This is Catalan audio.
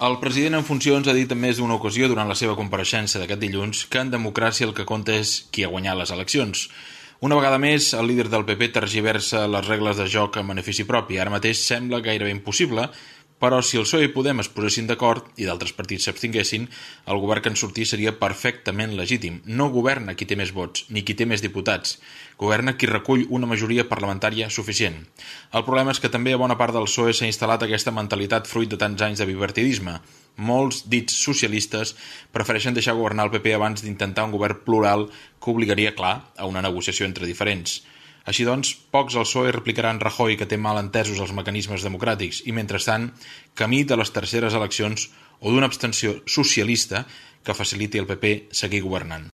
El president en funcions ha dit en més d'una ocasió durant la seva compareixença d'aquest dilluns que en democràcia el que compta és qui ha guanyat les eleccions. Una vegada més, el líder del PP tergiversa les regles de joc en benefici propi. Ara mateix sembla gairebé impossible, però si el PSOE i Podem es posessin d'acord i d'altres partits s'abstinguessin, el govern que en sortís seria perfectament legítim. No governa qui té més vots, ni qui té més diputats. Governa qui recull una majoria parlamentària suficient. El problema és que també a bona part del PSOE s'ha instal·lat aquesta mentalitat fruit de tants anys de bipartidisme. Molts dits socialistes prefereixen deixar governar el PP abans d'intentar un govern plural que obligaria, clar, a una negociació entre diferents. Així doncs, pocs al PSOE replicaran Rajoy que té mal entesos els mecanismes democràtics i, mentrestant, camí de les terceres eleccions o d'una abstenció socialista que faciliti al PP seguir governant.